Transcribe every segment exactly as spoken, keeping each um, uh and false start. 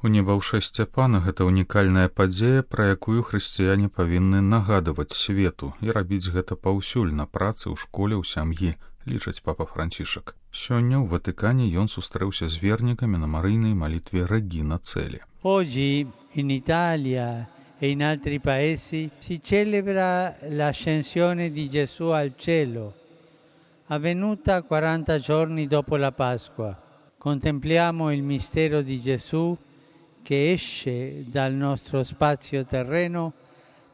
Унебаўшэсце Пана — гэта унікальная падзея, пра якую хрысціяне павінны нагадваць свету і рабіць гэта паўсюль на працы, ў школе, ў сям'і, лічыць папа Францішак. Сёння ў Ватыкане ён сустрэўся з вернікамі на марыйнай малітве Регина Coeli. Oggi in Italia e in altri paesi si celebra l'ascensione di Gesù al cielo, avvenuta quaranta giorni dopo la Pasqua. Contempliamo il mistero di Gesù che esce dal nostro spazio terreno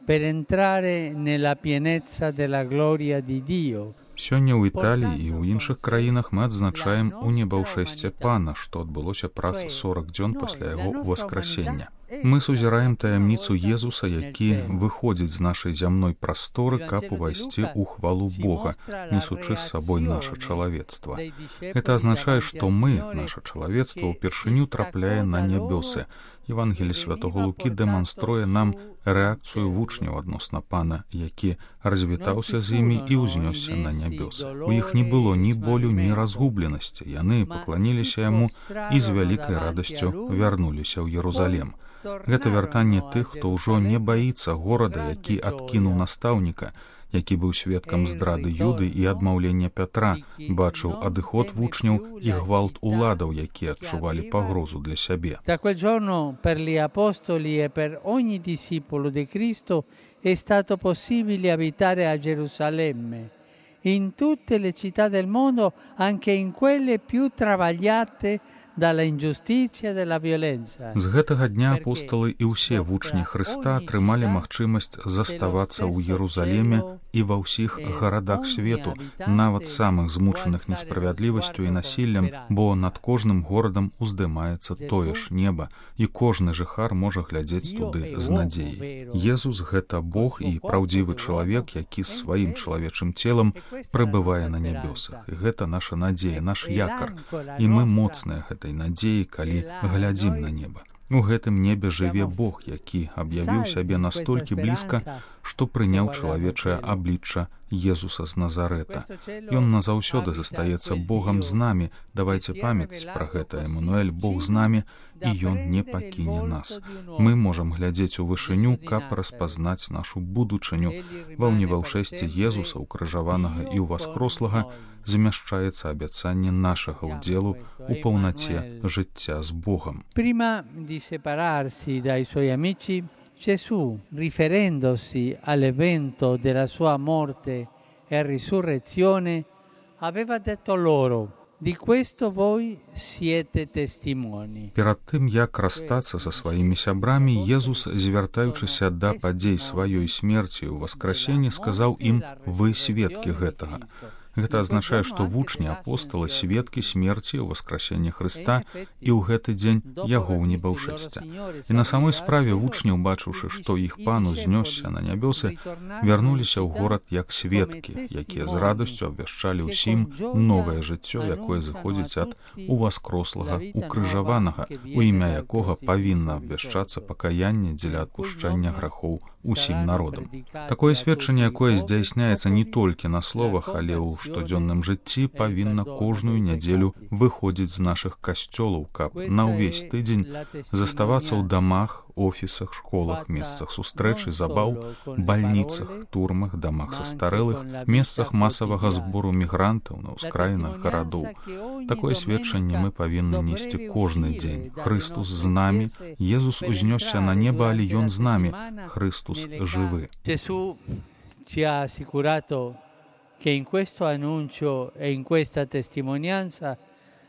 per entrare nella pienezza della gloria di Dio. Сёння ў Італіі і ў іншых краінах мы адзначаем унебаўшэсце Пана, што адбылося праз сорак дзён пасля яго ўваскрасення. Мы сузіраем таямніцу Езуса, які выходзіць з нашай зямной прасторы, каб увайсці ў хвалу Бога, несучы з сабой наша чалавецтва. Гэта азначае, што мы, наша чалавецтва, упершыню трапляе на нябёсы. Евангелі святого Лукі дэманструе нам рэакцыю вучняў адносна Пана, які развітаўся з імі і ўзнёсся на нябёсы. У іх не было ні болю, ні разгубленасці. Яны пакланіліся яму і з вялікай радасцю вярнуліся ў Єрусалем. Гэта вяртанне тых, хто ўжо не баіцца горада, які адкінуў настаўніка, які быў сведкам здрады Юды і адмаўлення Пятра, бачыў адыход вучняў і гвалт уладаў, якія адчувалі пагрозу для сябе. Da quel giorno per gli apostoli e per ogni discepolo di Cristo è stato possibile abitare a Gerusalemme, in tutte le città del mondo, anche in quelle più travagliate dalla ingiustizia e dalla violenza. З гэтага дня апосталы і ўсе вучні Хрыста атрымалі магчымасць заставацца ў Єрусалеме і ва ўсіх гарадах свету, нават самых змучаных несправядлівасцю і насіллем, бо над кожным горадам уздымаецца тое ж неба, і кожны жыхар можа глядзець туды з надзеяй. Езус — гэта Бог і праўдзівы чалавек, які з сваім чалавечым целам прыбывае на нябёсах. І гэта наша надзея, наш якар. І мы моцныя гэтай надзеі, калі глядзім на неба. У гэтым небе жыве Бог, які аб'явіў сябе настолькі блізка, што прыняў чалавечае аблічча Езуса з Назарэта. Ён назаўсёды застаецца Богам з намі. Давайце памятаць пра гэта. Эммануэль, Бог з намі, і ён не пакіне нас. Мы можам глядзець у вышыню, каб распазнаць нашу будучыню. Ва ўнебаўшэсці Езуса, укрыжаванага і ўваскрослага, змяшчаецца абяцанне нашага ўдзелу у паўнаце жыцця з Богам. Prima di separarsi dai suoi amici, Gesù, riferendosi all'evento della sua morte e risurrezione, aveva detto loro: di questo voi siete testimoni. Перад тым, як расстацца са сваімі сябрамі, Езус, звяртаючыся да падзей сваёй смерці ў васкрасенні, сказаў ім: вы сведкі гэтага. Гэта азначае, што вучні апосталы сведкі смерці ў васкрасенні Хрыста і ў гэты дзень яго ўнебаўшэсця. І на самой справе вучні, убачыўшы, што іх Пан узнёсся на нябёсы, вярнуліся ў горад як сведкі, якія з радасцю абвяшчалі ўсім новае жыццё, якое зыходзіць ад уваскрослага укрыжаванага, у імя якога павінна абвяшчацца пакаянне дзеля адпушчання грахоў усім народам. Такое сведчанне, якое здзяйсняецца не толькі на словах, але ў штодзённым жыцці, павінна кожную нядзелю выходзіць з нашых касцёлаў, каб на ўвесь тыдзень заставацца ў дамах, офісах, школах, месцах сустрэч і забаў, бальніцах, турмах, дамах састарэлых, месцах масавага збору мігрантаў на ўскраінах гарадоў. Такое сведчанне мы павінны несці кожны дзень. Хрыстус з намі, Езус узнёсся на неба, але ён з намі. Христус жывы. Gesù ci ha assicurato che in questo annuncio e in questa testimonianza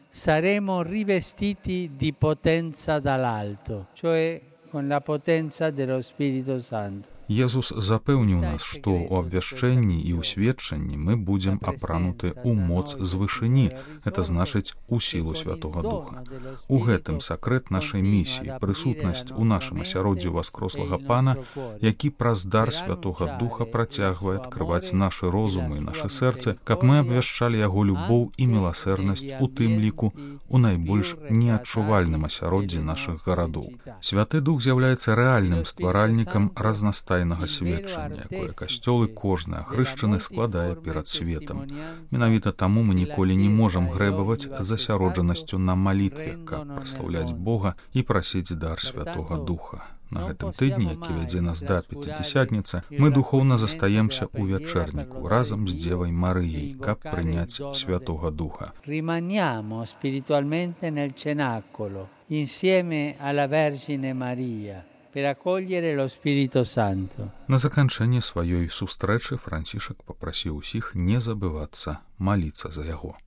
saremo rivestiti di potenza dall'alto, cioè con la potenza dello Spirito Santo. Езус запэўніў нас, што ў абвяшчэнні і ў сведчанні мы будзем апрануты ў моц з вышыні, гэта значыць у сілу Святога Духа. У гэтым сакрэт нашай місіі, прысутнасць у нашым асяроддзі васкрослага Пана, які праз дар Святога Духа працягвае адкрываць нашы розумы і нашы сэрцы, каб мы абвяшчалі яго любоў і міласэрнасць, у тым ліку у найбольш неадчувальным асяроддзі нашых гарадоў. Святы Дух з'яўляецца рэальным стваральнікам разнастайных тайнага сведчання, якое касцёл і кожны ахрышчаны складае перад светам. Менавіта таму мы ніколі не можам грэбаваць засяроджанасцю на малітве, каб праслаўляць Бога і прасіць дар Святога Духа. На гэтым тыдні, які вядзе нас да Пяцідзясятніцы, мы духоўна застаемся ў вячэрніку разам з Дзевай Марыяй, каб прыняць Святога Духа. Rimaniamo spiritualmente nel cenacolo, insieme alla Vergine Maria, per accogliere lo Spirito Santo. На заканчэнне сваёй сустрэчы Францішак папрасіў усіх не забывацца маліцца за яго.